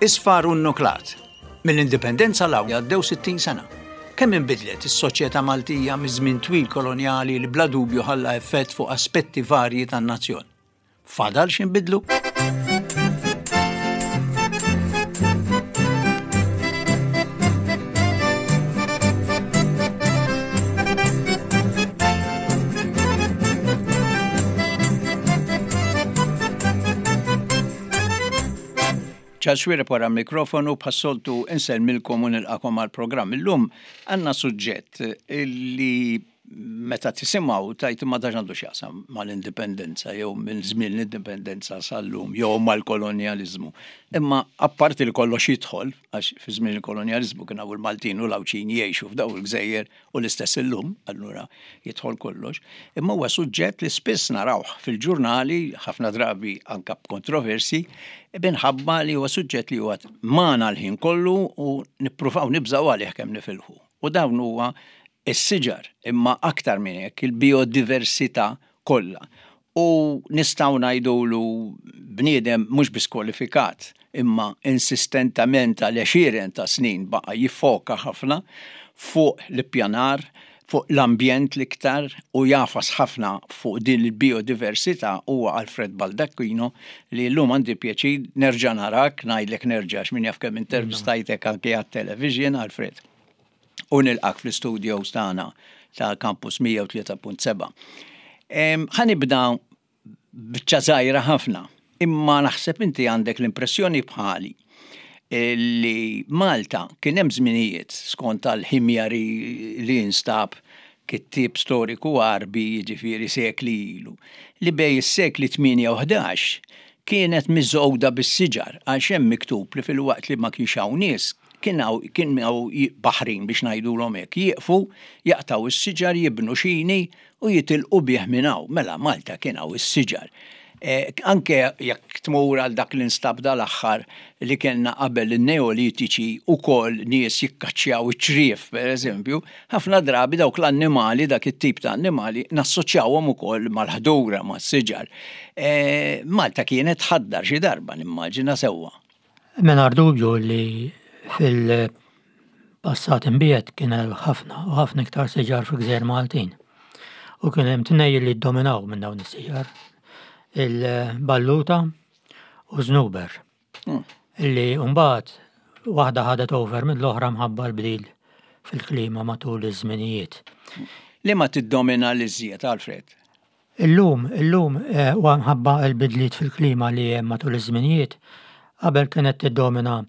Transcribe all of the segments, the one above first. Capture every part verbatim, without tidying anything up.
Isfar u nnuklat. Mill-Indipendenza 'l hawn għaddew sittin sena. Kemm inbidlet is-soċjetà Maltija miż-żmien twil kolonjali li bla dubju ħalla effett fuq aspetti varji tan-nazzjon? Fadal x'inbidlu? Charles Xuereb wara l-mikrofonu, bħas-soltu insellmilkom u nilqakom għall-programm. Illum għandna suġġett li meta tisimgħu tajt ma dax għandu x'jaqsam mal-indipendenza jew minn żmien l-indipendenza sal-lum jew mal-kolonjaliżmu. Imma apparti li kollox jidħol, għax fi żmien il-kolonjaliżmu kien hawn il-Maltin u l-Għawdxin jgħixu f'daw il-gżejjer u l-istess illum, allura jidħol kollox. Imma huwa suġġett li spiss narawh fil-ġurnali, ħafna drabi anka b'kontroversi, minħabba li huwa suġġett li huwa magħna l-ħin kollu u nippruvaw nibżgħu għalih kemm nifilħu. U dawn huwa is-siġar, imma aktar minn hekk il-biodiversità kollha. U nistgħu ngħidulu bniedem mhux biss kwalifikat, imma insistentament għal għexieren ta' snin baqa' jiffoka ħafna fuq l-ippjanar, fuq l-ambjent l-iktar u jafas ħafna fuq din il-biodiversità huwa Alfred Baldacchino li llum għandi pjaċir nerġa' narak, ngħidlek nerġa' x'min jaf kemm intervistajtek anke għat-television, Alfred. U nilqak fl-studios tagħna ta' Campus mija u tlieta punt seba'. Ħa nibda biċċa żgħira ħafna, imma naħseb inti għandek l-impressjoni bħali li Malta kien hemm żminijiet skont tal-ħimjari li instab kittieb storiku Għarbi jiġifieri sekli ilu, li bej is-sekli tmienja u ħdax kienet miżgħuda bis-siġar għax hemm miktub li fil-waqt li ma kienx hawn nies kien hawn, kien hawn baħrin biex ngħidulhom hekk, jieqfu, jaqtaw is-siġar, jibnu xini u jitilqu bih minn hawn. Mela Malta kien hawn is-siġar. Eh, anke jekk tmur għal dak li nstab dal-aħħar li kellna qabel in-Neolitiċi ukoll nies jikkaċċjaw iċ-ċriev, per eżempju, ħafna drabi dawk l-annimali, dak it-tip ta' annimali, nassoċjawhom ukoll mal-ħdura, mas-siġar. Eh, Malta kienet tħaddar xi darba, nimmaġina sewwa. Mingħajr dubju li fil-passat imbiet kien hemm ħafna u ħafna iktar siġar fil-gżejjer Maltin. U kien hemm tnejn li ddominaw minn dawn is-siġar, il-balluta u żnuber. Hmm. Illi mbagħad waħda ħadet over mill-oħra mħabba l-bdil fil-klima matul iż-żminijiet. Li ma tiddomina l-iżjed, Alfred? Illum, illum, eh, huwa mħabba l-bidliet fil-klima li hemm matul iż-żminijiet, qabel kienet tiddomina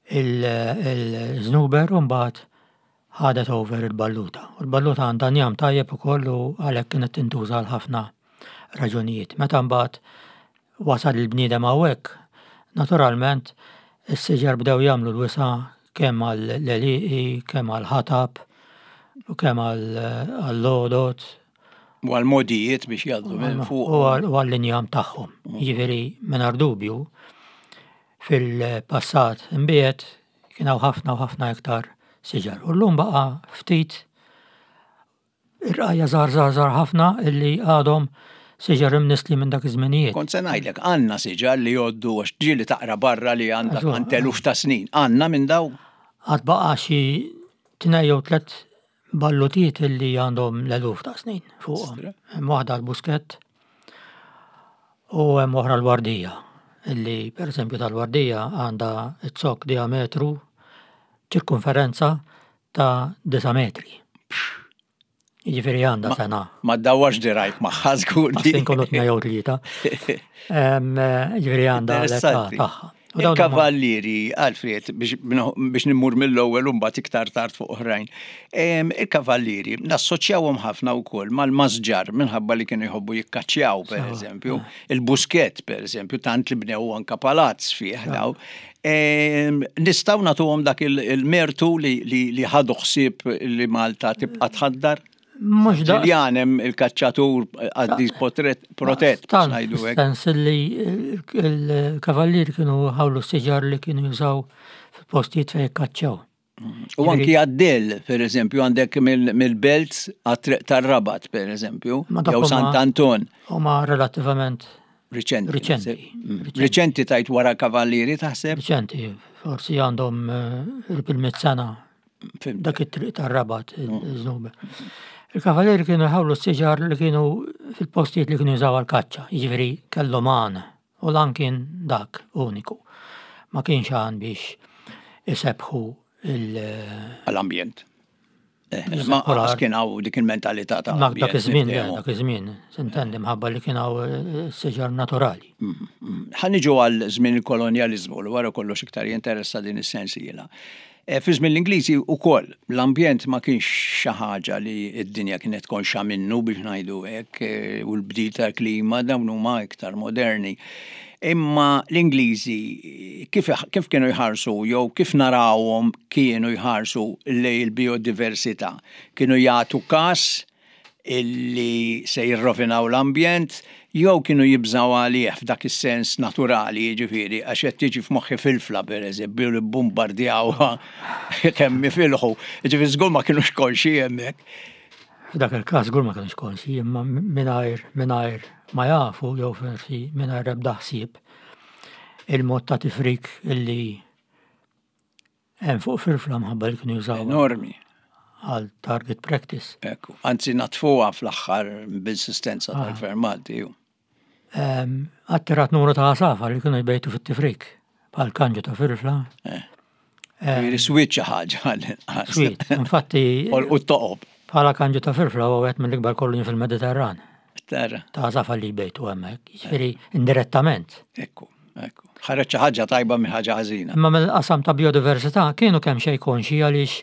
il-żnuber u mbagħad ħadet over il-balluta. U l-balluta għandha njam tajjeb ukoll u għalhekk kienet tintuża għal ħafna raġunijiet. Meta mbagħad wasal il-bniedem hawnhekk, naturalment is-siġar bdew jagħmlu l-wisa' kemm għall-għelieqi, kemm għall-ħatab, u kemm għall-għodod. U għall-modijiet biex jgħaddu minn fuq. U għall-injam tagħhom. Jiġifieri mingħajr dubju fil-passat imbiet kien hawn ħafna u ħafna iktar siġar. U llum baqa' ftit irqajja żgħar żgħar żgħar ħafna illi għadhom siġar imnisli minn dak iż-żminijiet. Kont se ngħidlek għandna siġar li jgħoddu għax ġieli taqra barra li għandek Eżatt. għand eluf ta' snin. Għandna minn daw? Għad baqa' xi tnejn jew tliet ballutiet illi għandhom l-eluf ta' snin fuqhom. Stra. Hemm waħda l-buskett u hemm oħra l-wardija, illi pereżempju tal-wardija għandha z-zokk diametru ċirkonferenza ta' disa' metri. Jiġifieri għandha Ma- sena. Ma ddawwarx dirajk magħha żgur. Għas inkunu tnejn jew tlieta. Em, jiġifieri għandha l-età Interessanti. tagħha. U dawn huma Il-kavallieri, Alfred, biex, biex nimmur mill-ewwel u mbagħad iktar tard fuq oħrajn. Em, il-kavallieri nassoċjawhom ħafna wkoll mal-masġar minħabba li kienu jħobbu jikkaċċjaw, per Sewa. eżempju, il-buskett, per eżempju, tant li bnew anka palazz fih daw. Em, nistgħu nagħtuhom dak il-, il-mertu li, li, li ħadu ħsieb li Malta tibqa' tħaddar? Mhux daqs. Ġiljan hemm il-kaċċatur għaddis potret, protett, Tant, ngħidu hekk. Sens li il-kavallieri kienu ħawlu s-siġar li kienu jużaw fil-postijiet fejn jikkaċċjaw. U anki għaddel, per eżempju, għandek mill-, mill-Belt għat-triq tar-Rabat, per eżempju, Ma dak jew huma Sant'Anton. Huma relattivament Riċenti. Riċenti. Mm. Riċenti tajt wara kavallieri taħseb? Riċenti, Forsi għandhom qrib il-mitt sena Fhimt. dak it-triq tar-Rabat, il-żnuber. Il-kavalieri kienu jħawlu s-siġar li kienu fil-postijiet li kienu jużaw għal-kaċċa, jiġifieri kellhom għan, u l-għan kien dak uniku. Ma kienx għan biex isebbħu il- Għall-ambjent. Eh, Ma Polar. qas kien hawn dik il-mentalità ta' Ma dak ambjent, iż-żmien, niftehmu. dak iż-żmien, s'intendi mħabba li kien hawn eh, siġar naturali. Ħa niġu għal żmien il-kolonjalizmu li wara kollox iktar jinteressa din is-sensiela. E, Fi żmien l-Ingliżi wkoll l-ambjent ma kienx xi ħaġa li d-dinja kienet konxa minnu biex ngħidu hekk e, u l-bdil tal-klima dawn huma iktar moderni. Imma l-Ingliżi kif, kif kienu jħarsu jew kif narawhom kienu jħarsu lejn il-biodiversità? Kienu jagħtu kas illi se jirrovinaw l-ambjent, jew kienu jibżaw għalih f'dak is-sens naturali, jiġifieri, għax qed tiġi f'moħħi filfla pereżempju li bombardjawha kemm jifilħu. Jiġifieri żgur ma kienux konxi hemmhekk. F'dak il-każ żgur ma kienux konxi, imma mingħajr mingħajr ma jafu jew forsi mingħajr ebda ħsieb il-mod ta' tifrik illi hemm fuq filfla mħabba li kienu jużaw Enormi. għal target practice. Ekku, anzi natfuha fl-aħħar b'insistenza tal-Gvern Malti. ju. Em, Attirat numru ta' għasafar li kienu jbejtu fit-tifrik bħal kanġu ta' filfla. Jiġifieri swiet xi ħaġa għall-inqas. Swiet, infatti U t-toqob. bħala kanġu ta' filfla huwa wieħed mill-ikbar koloni fil-Mediterran Tara, ta' għasafar li jbejtu hemmhekk, jiġifieri indirettament. ekku, ekku. Ħareġ xi ħaġa tajba minn ħaġa ħażina. Imma mill-qasam ta' biodiversità kienu kemm xejn konxi għaliex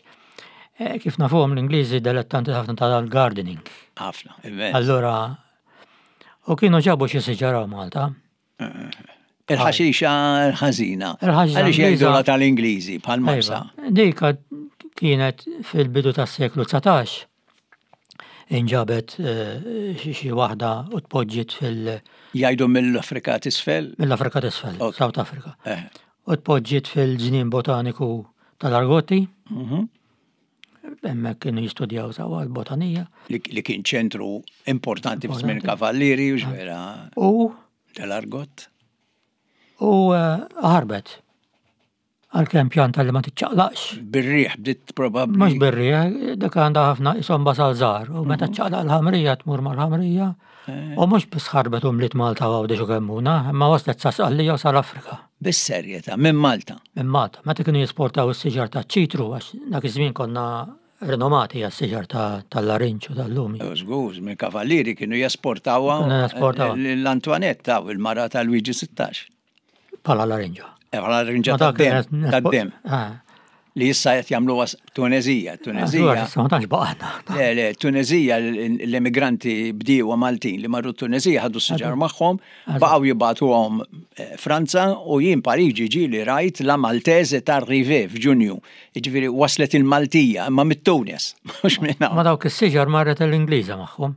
eh, kif nafuhom l-Ingliżi dilettanti ħafna tal-gardening. Ħafna, immens. Allura, u kienu ġabu xi siġar hawn Malta. Il-ħaxixa l-ħażina. Il-ħaxixa Għaliex Ingliża- jgħidulha tal-Ingliżi bħal marsa. Iva, Dika kienet fil-bidu tas-seklu dsatax inġabet eh, xi xi waħda u tpoġġiet fil- Jgħidu mill-Afrika t'isfel. mill-Afrika t'isfel, Ok. South Africa. Eh, U tpoġġiet fil-ġnien botaniku tal-Argotti, mhm. hemmhekk kienu jistudjaw sewwa l-botanija. Li li kien ċentru importanti fi żmien Importanti. kavallieri u x'vera U tal-Argot. u eh, ħarbet. Għalkemm pjanta li ma tiċċaqlaqx. Bir-riħ bdiet probabbli. Mhux bir-riħ, dak għandha ħafna isom basal żgħar u meta ċċaqlaq l-ħamrija tmur mal-ħamrija u mhux biss ħarbet u mliet Malta u Għawdex u Kemmuna, imma waslet sa Sqallija u sal-Afrika Bis-serjetà minn Malta. minn Malta. Meta kienu jesportaw is-siġar ta' ċitru għax dak iż-żmien konna rinomati għas-siġar ta' tal-larinġ u tal-lumi. U Żgur, minn kavallieri kienu jesportawha Kienu jesportawha. l-Antoinetta u l-mara ta' Luigi sittax. Bħala larinġa. Eh, Bħala larinġa Ma dak tad-dem, kienet- tad-dem. Ah, Li issa qed jagħmluha Tunezija, Tunezija. Issa ma tantx baqgħna. Le, le, Tunezija, l-immigranti bdiewa Maltin li marru Tunezija ħadu s-siġar magħhom, baqgħu jibagħtuhom eh, Franza u jien Pariġi ġieli rajt la Maltese t'arrivé f'Ġunju. Jiġifieri waslet il-Maltija, imma mit-Tunis, mhux minn hawn. Ma dawk is-siġar marret l-Ingliża magħhom.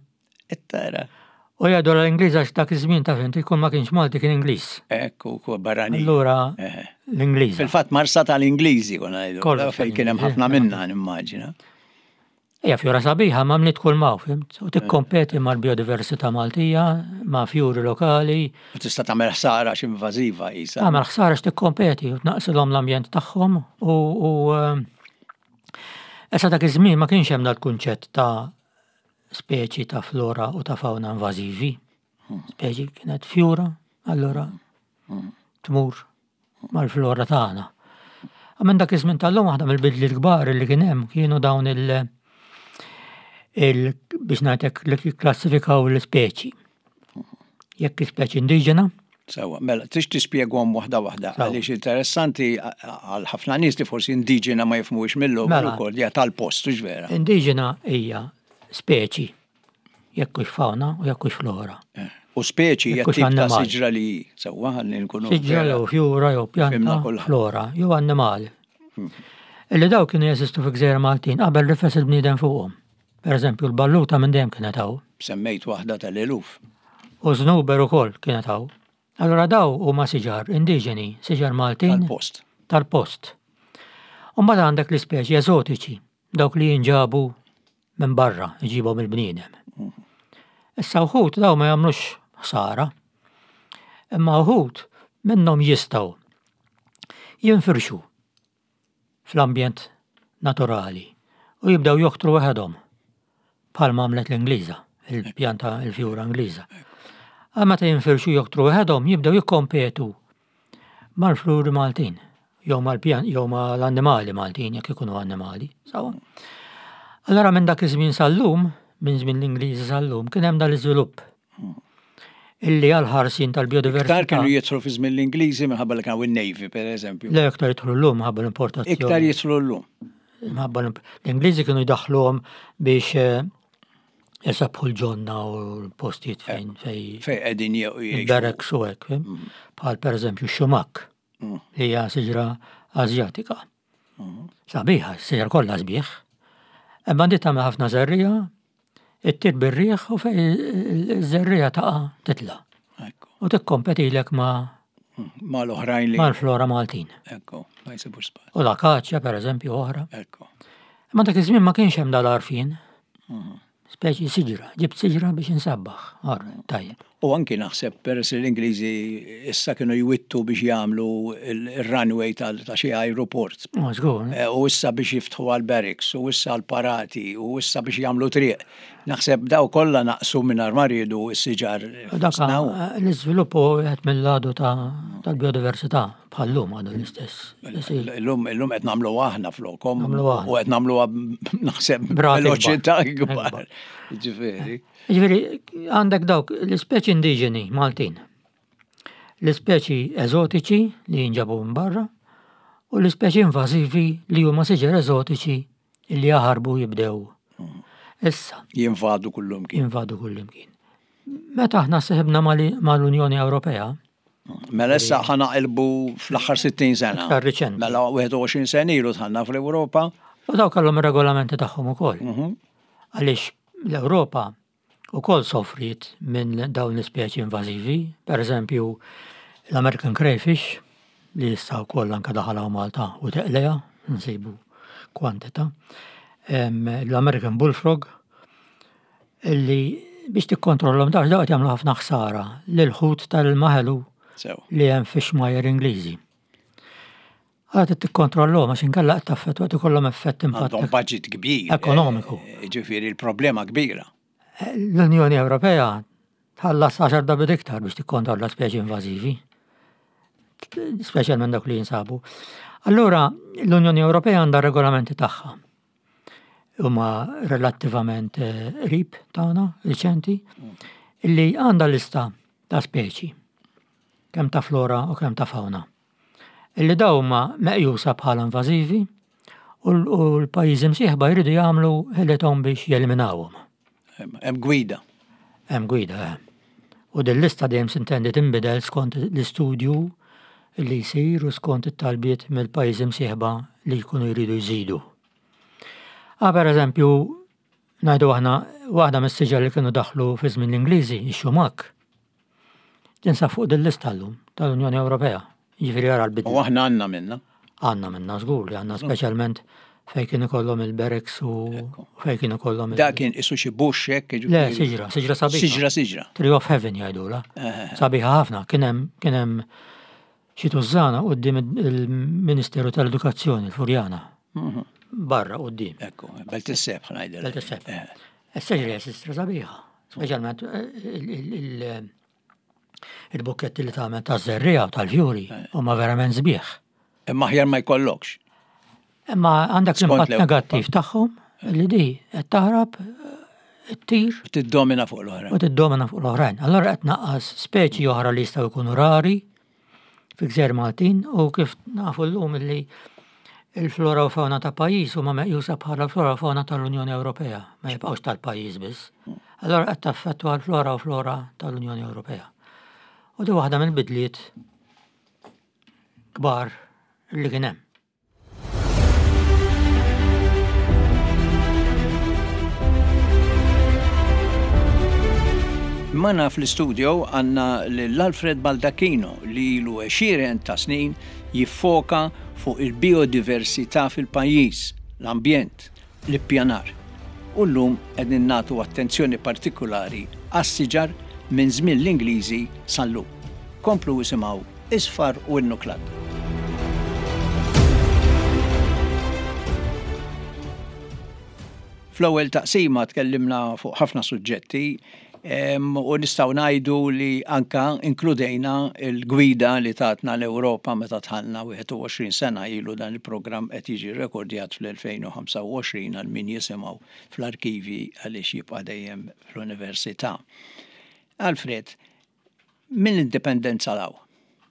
Tara. U jgħidu l-Ingliża għax dak iż-żmien ta' fint ikun ma kienx Malti kien Ingliż. Ekku, ku barrani. Allura Eh. l-Ingliża. Fil-fatt marsa tal-Ingliżi konna ngħidu. Kollox Fejn kien hemm tal-Ingliżi. ħafna minna nimmaġina. Hija fjura sabiħa ma mliet kull maw, fhimt? U tikkompeti mal-biodiversità Maltija, ma' fjuri lokali, U tista' tagħmel ħsara xi invażiva qisha. tagħmel ħsara x'tikkompeti u tnaqsilhom l-ambjent tagħhom u u ehm, issa dak iż-żmien ma kienx hemm dal-kunċett ta' speċi ta' flora u ta' fauna invażivi. Speċi kienet fjura, allura tmur mal-flora tagħna. Minn dak iż-żmien tal-lum waħda mill-bidliet kbar li kien hemm kienu dawn il- il biex ngħidlek li klassifikaw l-ispeċi. Jekk speċi indiġena, Sewwa, mela, tix tispjegahom waħda waħda, Sewwa. għaliex interessanti għal ħafna nies li forsi indiġena ma jifhmux mill-ewwel Mela. ukoll hija tal-post, hux vera. Indiġena hija speċi, jekk hux fauna u jekk hux flora. Eh. U speċi hija Jekk hux tip ta' annimal. siġra li sewwa ħalli nkunu. Siġra vera. jew fjura jew Fhimna pjanta, kulħadd. flora, jew annimal. Illi daw kienu jeżistu fi gżejjer Maltin qabel rifes il-bniedem fuqhom. Per eżempju, l-balluta minn dejjem kienet hawn. Semmejt waħda tal-eluf. U żnuber ukoll kienet hawn. Allura daw huma siġar indiġeni, siġar Maltin Tal-post. tal-post. U mbagħad għandek l-ispeċi eżotiċi, dawk li jinġabu minn barra, iġibhom il-bniedem. Issa wħud daw ma jagħmlux ħsara, imma wħud minnhom jistgħu jinfirxu fl-ambjent naturali u jibdew joktru waħedhom bħalma għamlet l-Ingliża, il-pjanta il-fjura Ingliża. Għal meta jinfirxu joktru waħedhom jibdew jikkompetu mal-fluri Maltin jew mal-pjan jew mal-annimali Maltin jekk ikunu annimali. Sawa. Allora minn dak iż-żmien sal-lum, minn żmien l-Ingliżi sal-lum, kien hemm dal-iżvilupp illi għal-ħarsien tal-biodiversità. Iktar kienu jidħlu fi żmien l-Ingliżi minħabba li kienu in-Navy, per eżempju. Le iktar jidħlu llum minħabba l-importazzjoni. Iktar jidħlu llum. Minħabba l-Ingliżi kienu jdaħħluhom biex eh, jisabbħu l-ġonna u l-postijiet fejn fej Fej qegħdin jgħixu. il-barracks u hekk, fim? Bħal per eżempju x-xumak Mm. li hija siġra Azjatika. Sabiħa, siġra kollha sbieħ. Imma di tagħmel ħafna żerriegħa, ittir bir-riħ u fej iż-żerriegħa taqa' titla'. Ekku. U tikkompetilek ma' Ma l-oħrajn li. mal-flora Maltin. Ekku, ma jsibux spazju. U l-akaċja per eżempju oħra. Ekku. Imma dak iż-żmien ma kienx hemm dal-għarfien. Speċi siġra, ġibt siġra biex insabbaħ. Orra, tajjeb. U anki naħseb peress li l-Ingliżi issa kienu jwittu biex jagħmlu il-runway tal- ta' xi aeroport. Ma żgur. Eh, U issa biex jiftħu għal barracks, u issa għal parati, u issa biex jagħmlu triq. Naħseb daw kollha naqsu minn ma riedu s-siġar. Dak fostna u. l-iżvilupp hu wieħed mill-għadu ta' tal-biodiversità bħal-lum għadu l-istess. Illum illum qed nagħmlu aħna flokom. Nagħmlu aħna. U qed nagħmluha naħseb Brati veloċità kbar. kbar. Ġifieri. Ġifieri għandek dawk l-ispeċi indiġeni Maltin, l-ispeċi eżotiċi li jinġabu minn barra u l-ispeċi invażivi li huma siġar eżotiċi li jaħarbu jibdew. Issa, Jinvadu kullum kien. jinvadu kullimkien. Meta aħna seħibna mal-Unjoni Ewropea, Mela issa ħa naqilbu fl-aħħar sittin sena. Iktar riċenti. Mela wieħed u għoxrin sena ilu dħalna fl-Ewropa. U daw kellhom ir-regolamenti tagħhom ukoll. Mhm. Għaliex l-Ewropa ukoll sofriet minn dawn l-ispeċi invażivi, per eżempju l-American crayfish li issa wkoll anke daħal hawn Malta u teqlejha, nsibu kwantità. Em, L-American bullfrog illi biex tikkontrollhom dawn dawn qed jagħmlu ħafna ħsara lil ħut tal-ilma ħelu Sew. li hemm fix-xmajjar Ingliżi. Għad tikkontrollhom għax inkella qed taffettwa qed ikollhom effett impatt Għandhom budget kbir. Ekonomiku. eh, Ġifieri il-problema kbira. L-Unjoni Ewropea tħallas għaxar darbiet iktar biex tikkontrolla speċi invażivi, speċjalment dawk li jinsabu. Allura, l-Unjoni Ewropea għandha regolamenti tagħha. Huma relattivament eh, qrib tagħna, riċenti, illi għandha lista ta' speċi, kemm ta' flora u kemm ta' fauna. Illi daw huma meqjusa bħala invażivi u l- u l-pajjiżi msieħba jridu jagħmlu ħilithom biex jeliminawhom. Hemm hemm gwida. Hemm gwida, eh. U din lista dejjem sintendi tinbidel skont l-istudju li jsir u skont it-talbiet mill-pajjiżi msieħba li jkunu jridu jżidu. Ah, per eżempju, ngħidu aħna waħda mis-siġar li kienu daħlu fi żmien l-Ingliżi, ix-xumak. Tinsab fuq din lista llum tal-Unjoni Ewropea. Jiġifieri ara l-bidla. U aħna għandna minna. Għandna minna żgur li għandna, speċjalment fejn kien ikollhom il-barracks u fejn kien ikollhom il- Da kien isu xi bush hekk. Le, ġifieri. siġra, siġra sabiħa. Siġra, siġra. Tree of Heaven jgħidula. Sabiħa ħafna. Kien hemm kien hemm xi tużżana quddiem il-Ministeru tal-Edukazzjoni, il-Furjana. Barra quddiem. Ekku, Belt is-Sebħ ngħidilha. Belt is-Sebħ. Eh, Is-siġra hija siġra sabiħa. Speċjalment eh, il- il- il- il-bukketti li tagħmel taż-żerriegħa u tal-fjuri huma verament sbieħ. Imma aħjar ma jkollokx. Imma għandek Skont l-impatt l-Ewropa. negattiv tagħhom li di qed taħrab, eh, ttir Tiddomina fuq l-oħra. u tiddomina fuq l-oħrajn. Allora qed naqqas speċi oħra li jistgħu jkunu rari fi gżejjer Maltin u kif nafu llum li il-flora u fauna ta' pajjiż huma meqjusa bħala flora u fauna tal-Unjoni Ewropea, ma jibqgħux tal-pajjiż biss. Allora qed taffettwa l-flora u flora tal-Unjoni Ewropea. U di waħda mill-bidliet kbar li kien hemm. Magħna fl-studio għandna l-Alfred Baldacchino li ilu għexieren ta' snin jiffoka fuq il-biodiversità fil-pajjiż, l-ambjent, l-ippjanar. U llum qegħdin nagħtu attenzjoni partikolari għas-siġar minn żmien l-Ingliżi sal-lum. Komplu isimgħu Isfar u Innuklat. Fl-ewwel taqsima tkellimna fuq ħafna suġġetti u nistgħu ngħidu li anka inkludejna l-gwida li tatna l-Ewropa meta dħalna wieħed u għoxrin sena ilu. Dan il-programm qed jiġi rekordjat fl-elfejn u ħamsa u għoxrin għal min jisimgħu fl-arkivi, għaliex jibqa' dejjem fl-università. Alfred, mill-indipendenza 'l hawn,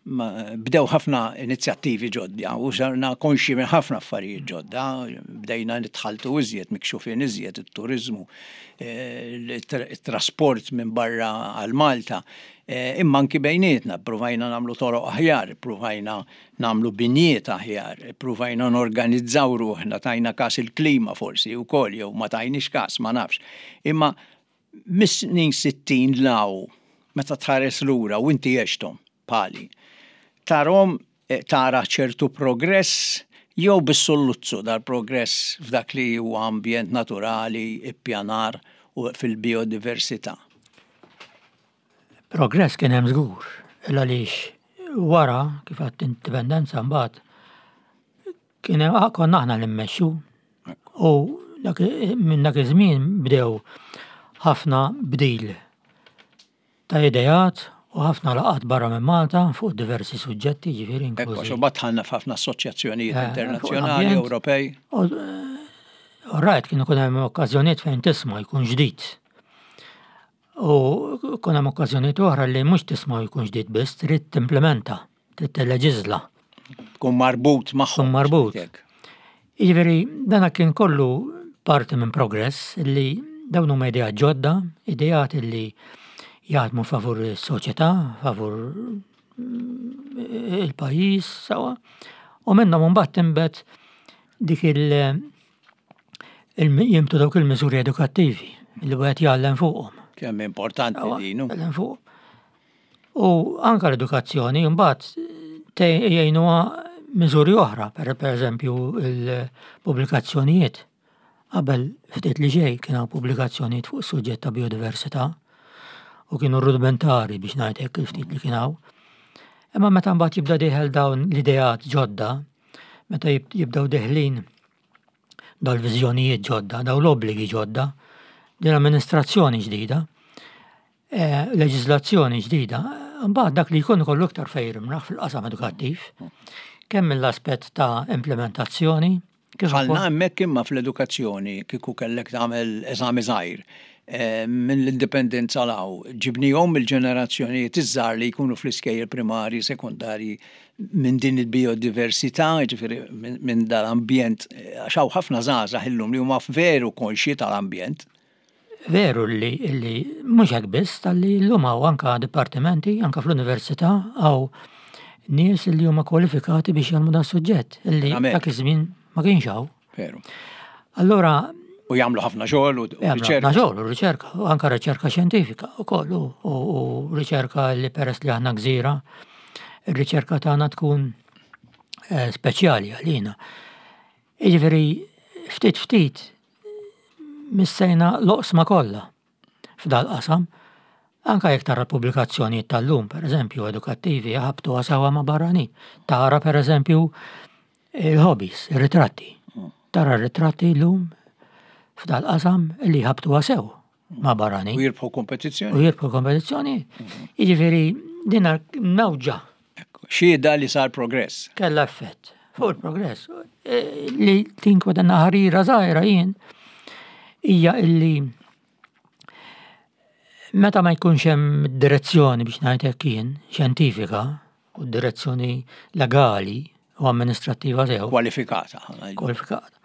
bdew ħafna inizjattivi ġodda u sarna konxi minn ħafna affarijiet ġodda, bdejna nitħaltu iżjed, mikxufin iżjed, it-turizmu, il-trasport minn barra għal Malta, imma anki bejnietna, provajna nagħmlu toroq aħjar, provajna nagħmlu binjiet aħjar, provajna norganizzaw ruħna, tajna kas il-klima forsi u koll, jew ma tajniex kas, ma nafx. Imma mis-snin sittin 'l hawn, meta tħares lura u inti għexthom pali, tarahom, tara ċertu progress jew bis-solluzzu dal-progress f'dak li huwa ambjent naturali, ippjanar u fil-biodiversità? Progress kien hemm żgur, għaliex wara kif għat indipendenza mbagħad kien hemm, konna aħna li mmexxu u minn dak iż-żmien bdew ħafna bdil ta' ideat u ħafna laqgħat barra minn Malta fuq diversi suġġetti, ġifieri inklużi. Ekku, dħalna f'ħafna assoċjazzjonijiet eh, internazzjonali, Ewropej. U rajt kienu kun hemm okkażjonijiet fejn tisma' jkun ġdid. U kun hemm okkażjonijiet oħra li mhux tisma' jkun ġdid biss, trid timplementa, trid tilleġiżla. Tkun marbut magħhom. Tkun marbut. Jiġifieri dana kien kollu parti minn progress li dawn huma ideat ġodda, ideat li jaħdmu favur is-soċjetà, favur il-pajjiż, sawa. U minnhom mbagħad tinbet dik il jimtu dawk il-miżuri edukattivi li wieħed jgħallem fuqhom. Kemm importanti din. Jgħallem fuq. U anka l-edukazzjoni mbagħad jgħinuha miżuri oħra, per eżempju il-pubblikazzjonijiet. Qabel ftit li ġej kien hawn pubblikazzjonijiet fuq suġġett ta' biodiversità u kienu rudimentari, biex ngħidlek, il-ftit li kien hawn. Imma meta mbagħad jibda dieħel dawn l-ideat ġodda, meta jibdew deħlin dal-viżjonijiet ġodda, dawn l-obbligi ġodda, din l-amministrazzjoni ġdida, eh, leġiżlazzjoni ġdida, mbagħad dak li jkun ikollu iktar fejn jimraħ fil-qasam edukattiv, kemm mill-aspett ta' implementazzjoni, kif Ħalna hemmhekk, imma fl-edukazzjoni kieku kellek tagħmel eżami żgħir eh, minn l-indipendenza 'l hawn, ġibnihom il-ġenerazzjonijiet iż-żgħar li jkunu fl-iskejjel primari, sekondari, minn din il-biodiversità, ġifieri minn dal-ambjent, għax hawn ħafna żgħażagħ illum li huma veru konxji tal-ambjent. Veru li, li mhux hekk biss, tal-li llum hawn anka dipartimenti, anka fl-università hawn nies li huma kwalifikati biex jgħallmu dan suġġett illi dak iż-żmien ma kienx hawn. Veru. Allora U jagħmlu ħafna xogħol u riċerka. Ħafna xogħol u riċerka, u anka riċerka xjentifika wkoll u riċerka li peress li aħna gżira, ir-riċerka tagħna tkun eh, speċjali għalina. Jiġifieri ftit ftit missejna l-oqsma kollha f'dal qasam. Anka jekk tara pubblikazzjonijiet tal-lum, per eżempju, edukattivi, jaħabtu sewwa ma' barranin. Tara, per eżempju, il-hobbies, il-ritratti. Tara ritratti l-lum f'dal qasam li jħabtu sew ma' barranin. U jirbħu kompetizzjoni. U jirbħu kompetizzjoni. Jiġifieri din mewġa. Xhieda li sar progress. Kella effett fuq il-progress. E, li tinkwetanna ħarira żgħira jien hija illi meta ma jkunx hemm direzzjoni, biex ngħid hekk jien, xjentifika u direzzjoni legali u amministrattiva sew. Kwalifikata. Kwalifikata.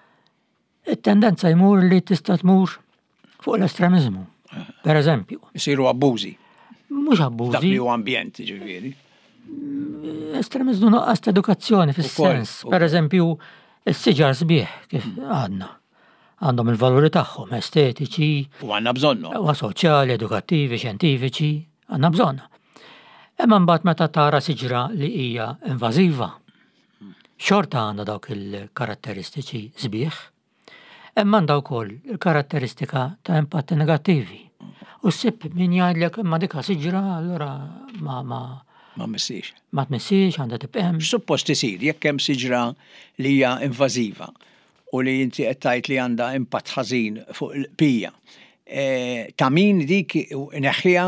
It-tendenza jmur li tista' tmur fuq l-estremizmu. Per eżempju. Isiru abbużi. Mhux abbużi. Dak li huwa ambjent, ġifieri. Estremizmu, nuqqas ta' edukazzjoni fis-sens. Per eżempju, is-siġar sbieħ, kif għadna. Għandhom il-valuri tagħhom estetiċi. U għandna bżonnu. U soċjali, edukattivi, xjentifiċi, għandna bżonn. Imma mbagħad meta tara siġra li hija invażiva, xorta għandha dawk il-karatteristiċi sbieħ, imma għandha wkoll il-karatteristika ta' impatti negattivi. U ssib min jgħidlek, imma dika siġra, allura ma ma Ma missix. Ma tmissix, għandha tibqa' hemm. X'suppost isir jekk hemm siġra li hija invażiva u li inti qed tgħid li għandha impatt ħażin fuq il-bqija. Ta' min dik neħħiha,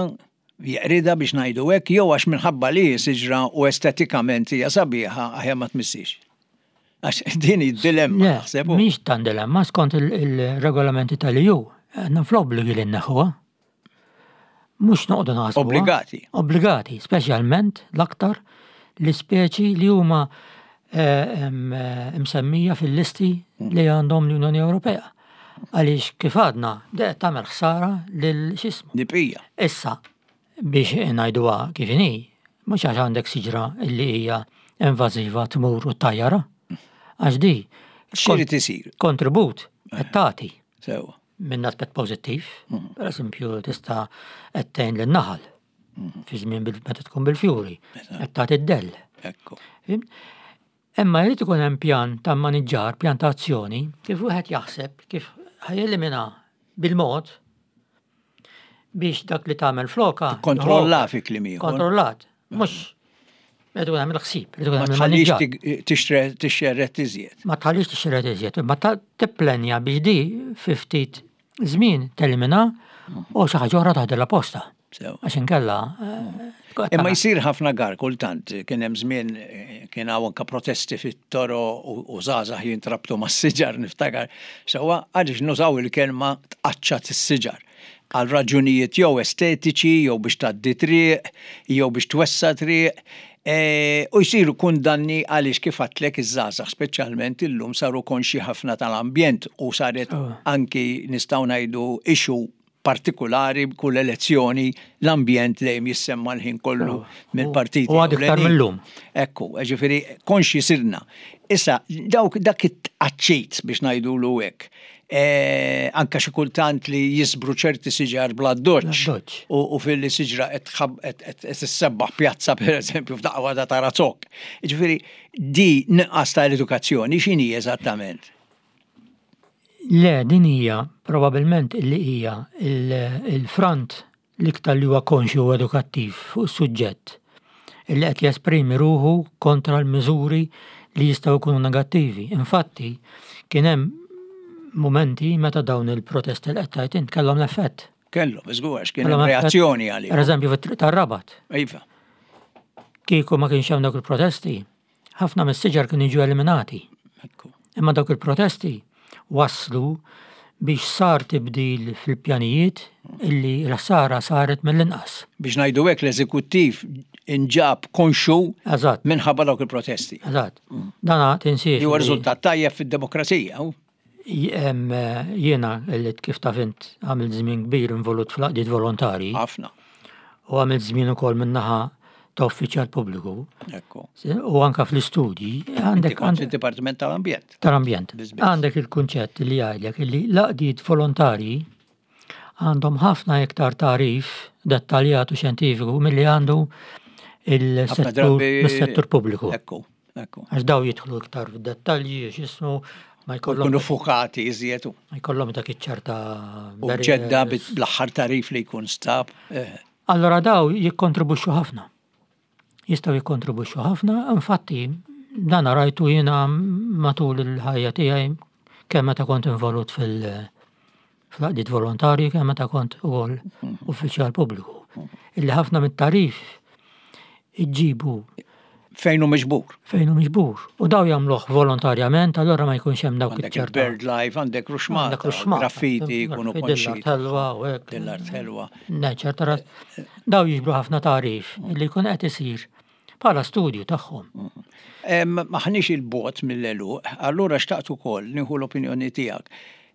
jeqridha biex ngħidu hekk, jew għax minħabba li siġra u estetikament hija sabiħa aħjar ma tmissix? Għax din id-dilemma, naħseb. Mhix tan dilemma, skont il-regolamenti tal-E U, għandna fl-obbligi li nneħħuha. Mhux noqogħdu naħsbu. Obbligati. Obbligati, speċjalment l-aktar l-ispeċi li huma eh, msemmija fil-listi li għandhom l-Unjoni Ewropea. Għaliex kif għadna, de tagħmel ħsara lil x'ismu. L-bqija. Issa, biex ngħiduha kif inhi, mhux għax għandek siġra illi hija invażiva tmur u tajjara. Għax di. X'irid isir? Kontribut qed tagħti. Sewa. Minn aspett pożittiv, per eżempju tista' qed tgħin lin-naħal fi żmien meta tkun bil-fjuri, qed tagħti d-dell. Ekku. Imma jrid ikun hemm pjan ta' maniġġar, pjan ta' azzjoni, kif wieħed jaħseb kif ħa jelimina bil-mod biex dak li tagħmel floka. Kontrolla fi kliem ieħor. Kontrollat. Mhux Rrid ikun hemm il-ħsieb, rrid ikun Ma hemm tħallix il-maniġġar. tixxerred iżjed. Ma tħallix tixxerred iżjed, imma tipplenja biex di fi ftit żmien telimina u xi ħaġa oħra taħdilha posta. Sew. Għax inkella. eh, Imma jsir ħafna gar kultant, kien hemm żmien eh, kien hawn anke protesti fit-toroq u u żgħażagħ jintrabtu mas-siġar, niftakar. Sewwa, għaliex nużaw il-kelma tqaċċat is-siġar għal raġunijiet jew estetiċi, jew biex tgħaddi triq, jew biex twessa triq, e, u jsiru kundanni għaliex kif għedtlek iż-żgħażagħ speċjalment illum saru konxi ħafna tal-ambjent u saret anki nistgħu ngħidu issue partikolari. Kull elezzjoni l-ambjent dejjem jissemma l-ħin kollu mill-partiti. U għad iktar ewlenin. mill-lum. Ekku, ġifieri konxi sirna. Issa, dawk dak it-tqaċċit biex ngħidulu hekk, e, anka xi kultant li jisbru ċerti siġar bla doċ. Bla doċ. U, u fil-li siġra qed tħab- qed qed issebbaħ pjazza, per eżempju, f'daqqa waħda tara zokk. Ġifieri di nuqqas tal-edukazzjoni x'inhi eżattament? Le, din hija probabilment illi hija il- il-front l-iktar li huwa konxju u edukattiv fuq is-suġġett illi qed jesprimi ruħu kontra l-miżuri li jistgħu jkunu negattivi. Infatti, kien hemm momenti meta dawn il-protesti li qed tgħid int kellhom l-effett. Kellu, żgur, għax kien Kellhom hemm effett. reazzjoni għalih. Per eżempju, fit-triq tar-Rabat. Iva. Kieku ma kienx hemm dawk il-protesti, ħafna mis-siġar kienu jiġu eliminati. Ekku. Imma dawk il-protesti waslu biex sar tibdil fil-pjanijiet illi l-ħsara saret mill-inqas. Biex ngħidu hekk, l-eżekuttiv inġab konxu Eżatt, minħabba dawk il-protesti. eżatt. Dana tinsiex. Li huwa li riżultat tajjeb fid-demokrazija. u? jem, eh, Jiena illi kif taf int għamilt żmien kbir involut fl-għaqdiet volontari Ħafna. u għamilt żmien ukoll min-naħa ta' uffiċjal pubbliku Ekku. u anka fl-istudji għandek Inti kont fid-Dipartiment tal-Ambjent. Tal-ambjent. Biss biss. Għandek il-kunċett li jgħidlek illi l-għaqdiet volontarji għandhom ħafna iktar tagħrif dettaljat u xjentifiku milli għandu Ħafna il-settur drabi mis-settur pubbliku. Ekku, ekku. Għax daw jidħlu iktar fid-dettalji, x'ismu, ma jkollhom Kunu fukati iżjed u ma jkollhom dak iċ-ċerta u ġedda bl-aħħar tagħrif li jkun stab. Eh, Allora daw jikkontribwixxu ħafna. Jistgħu jikkontribwixxu ħafna, infatti dan rajtu jiena matul il-ħajja tiegħi, kemm meta kont involut fil- fl-għaqdiet volontarji, kemm meta kont ukoll uffiċjal pubbliku. Illi ħafna mit-tagħrif iġibu Fejn hu miġbur. Fejn hu miġbur. U daw jagħmluh volontarjament, allora ma jkunx hemm dawk Għandek iċ-ċerta. il-bird life, għandek ruxmata, Għandek ruxmata, graffiti, jkunu Dell-art konxi. ħelwa u hekk. Dell-art ħelwa. Ne, ċerta ras. Daw jiġbru ħafna tagħrif illi jkun qed isir bħala studju tagħhom. Em, Maħniex il-bogħod mill-għeluq, allura xtaqt ukoll nieħu l-opinjoni tiegħek.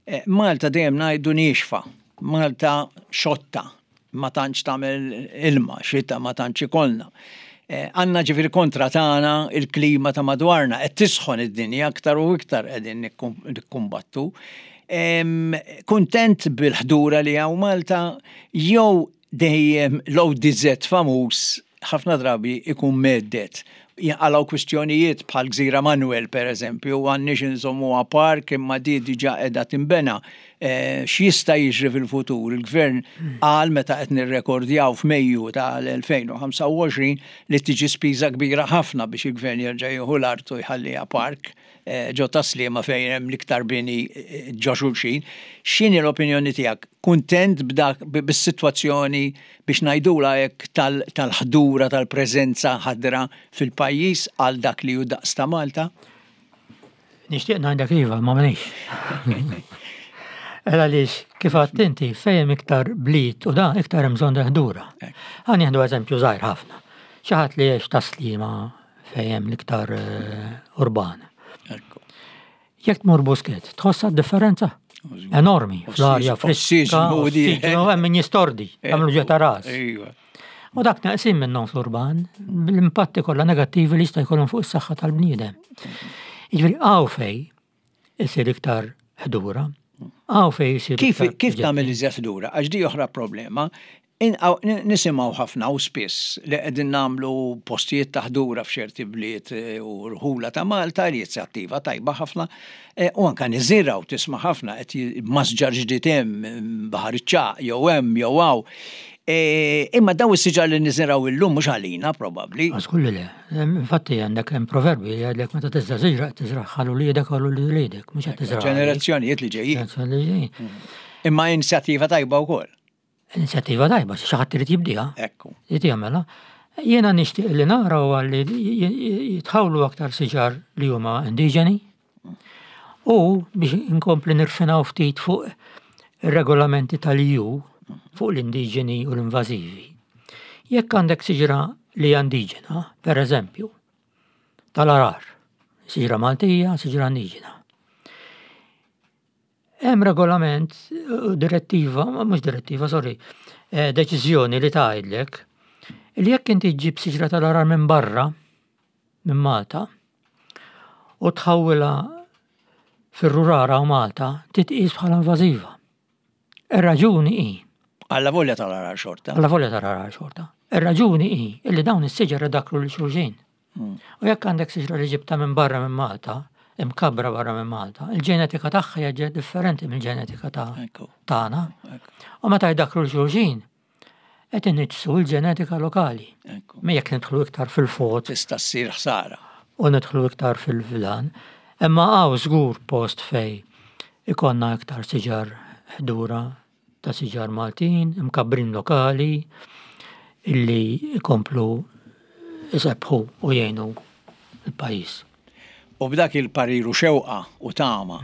Eh, Malta dejjem ngħidu niexfa, Malta xotta, ma tantx tagħmel ilma, xita ma tantx ikollna. Eh, Għandna ġifieri kontra tagħna il-klima ta' madwarna, qed tisħon id-dinja aktar u iktar, qegħdin nikkum- nikkumbattu. Em, Kuntent bil-ħdura li hawn Malta jew dejjem l-O D Z famuż ħafna drabi ikun mhedded? Jinqalgħu kwistjonijiet bħal Gżira Manuel, per eżempju, għandniex inżommu park imma di diġà qiegħda tinbena. eh, x'jista' jiġri fil-futur. Il-gvern qal meta qed nirrekordjaw f'Mejju tal-elfejn u ħamsa u għoxrin li tiġi spiża kbira ħafna biex il-gvern jerġa' jieħu l-art u jħalliha park eh, ġo Tas-Sliema fejn hemm l-iktar bini eh, ġo xulxin. X'inhi l-opinjoni tiegħek? Kuntent b'dak bis-sitwazzjoni, biex ngħidula hekk, tal-ħdura, tal-preżenza ħadra fil-pajjiż għal dak li hu daqs ta' Malta? Nixtieq ngħidlek iva, ma m'għandix. Għaliex, kif għedt inti, fejn iktar bliet u da iktar hemm bżonn ħdura. Ħa nieħdu eżempju żgħir ħafna. Xi ħadd li jgħix Tas-Sliema fejn hemm l-iktar eh, urban. Ekku. Jekk tmur Buskett, tħossa differenza enormi fl-arja friska, Ossiġnu di. Ossiġnu, hemm min jistordi, għamlu ġeta ras. Iva. U dak neqsin minnhom fl-urban, bl-impatti kollha negattivi li jista' jkollhom fuq is-saħħa tal-bniedem. Jiġifieri hawn fejn isir iktar ħdura, hawn fejn isir Kif, iktar kif tagħmel iżjed ħdura? Għax di oħra problema. In- aw- n- Nisimgħu ħafna u spiss li qegħdin nagħmlu postijiet ta' ħdura f'ċerti bliet eh, u rħula ta' Malta, li inizjattiva tajba ħafna, eh, u anka niżirgħu, tisma' ħafna qed j- masġar ġdid hemm Baħar iċ-Ċagħaq jew hemm jew hawn. Eh, Imma daw is-siġar li niżirgħu illum mhux għalina probabbli. Għax li le. Infatti għandek hemm proverbi li jgħidlek meta tiżra' siġra tiżra' għal uliedek, għal uliedek, mhux qed tiżra' għalik. Ġenerazzjonijiet li ġejjin. Ġenerazzjoni li ġejjin. Imma inizjattiva tajba wkoll. Inizjattiva tajba, xi ħadd irid jibdiha. Ekku. Irid jagħmilha. Jiena nixtieq li nara huwa li jitħawlu aktar siġar li huma indiġeni u biex inkompli nirfinaw ftit fuq ir-regolamenti tal-E U fuq l-indiġeni u l-invażivi. Jekk għandek siġra li hija indiġena, per eżempju, tal-għargħar, siġra Maltija, siġra indiġena. Hemm regolament, eh, direttiva, mhux direttiva, sorry, eh, deċiżjoni li tgħidlek li jekk inti ġġib siġra tal-għargħar minn barra, minn Malta, u tħawwilha fir-rurara u Malta, titqis bħala invażiva. Ir-raġuni hi, Alla volja tal-għargħar xorta. Alla volja tal-għargħar xorta. Ir-raġuni hi illi dawn is-siġar idakru lil xulxin. U jekk għandek siġra li ġibta minn barra minn Malta, imkabbra barra minn Malta, il-ġenetika tagħha hija differenti mill-ġenetika ta' Ekku. tagħna. Ekku. U meta jdakru lil xulxin, qed iniġġsu l-ġenetika lokali. Ekku. Ma jekk nidħlu iktar fil-fot Tista' ssir ħsara. U nidħlu iktar fil-vilan, imma hawn żgur post fejn ikonna iktar siġar ħdura ta' siġar Maltin, imkabbrin lokali, illi ikomplu isebbħu u jgħinu il-pajjiż. U b'dak il-pariru, xewqa u tama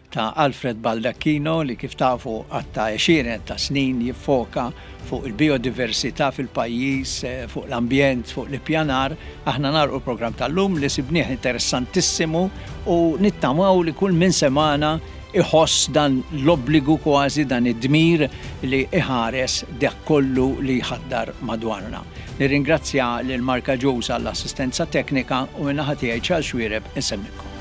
ta' Alfred Baldacchino, li kif tafu għatta għexieren ta' snin jiffoka fuq il-biodiversità fil-pajjiż, eh, fuq l-ambjent, fuq l-ippjanar, aħna nagħlqu l-programm tal-lum li sibnieh interessantissimu u nittamaw li kull min semagħna iħoss dan l-obbligu, kważi dan id-dmir li iħares dak kollu li jħaddar madwarna. Nirringrazzja lil Marka Ġuż għall-assistenza teknika u min-naħa tiegħi, Charles Xuereb, insellmilkom.